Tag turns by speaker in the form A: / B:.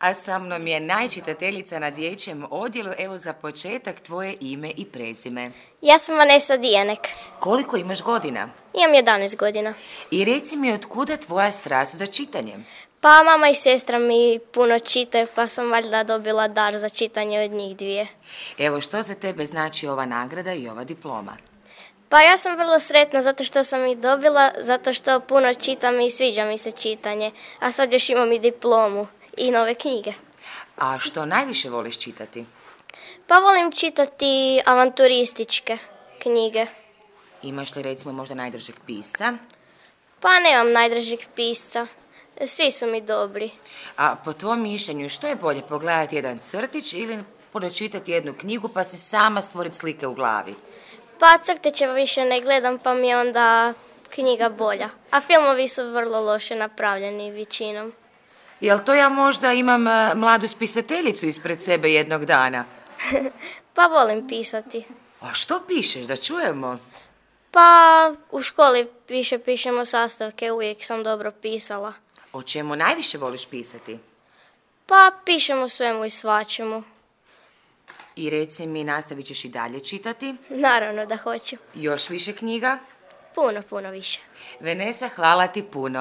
A: A sa mnom je najčitateljica na dječjem odjelu. Evo za početak tvoje ime i prezime.
B: Ja sam Vanessa Dijanek.
A: Koliko imaš godina?
B: Imam 11 godina.
A: I reci mi, od kuda tvoja strast za čitanje?
B: Pa mama i sestra mi puno čitaju, pa sam valjda dobila dar za čitanje od njih dvije.
A: Evo, što za tebe znači ova nagrada i ova diploma?
B: Pa ja sam vrlo sretna zato što sam ih dobila, zato što puno čitam i sviđa mi se čitanje. A sad još imam i diplomu i nove knjige.
A: A što najviše voliš čitati?
B: Pa volim čitati avanturističke knjige.
A: Imaš li recimo možda najdražeg pisca?
B: Pa nemam najdražeg pisca. Svi su mi dobri.
A: A po tvom mišljenju, što je bolje, pogledati jedan crtić ili pročitati jednu knjigu pa si sama stvoriti slike u glavi?
B: Pa crtiće više ne gledam, pa mi je onda knjiga bolja. A filmovi su vrlo loše napravljeni većinom.
A: Jel to ja možda imam mladu spisateljicu ispred sebe jednog dana?
B: Pa volim pisati.
A: A što pišeš, da čujemo?
B: Pa u školi više pišemo sastavke, uvijek sam dobro pisala.
A: O čemu najviše voliš pisati?
B: Pa pišemo svemu i svačemu.
A: I reci mi, nastavit ćeš i dalje čitati?
B: Naravno da hoću.
A: Još više knjiga?
B: Puno više.
A: Vanessa, hvala ti puno,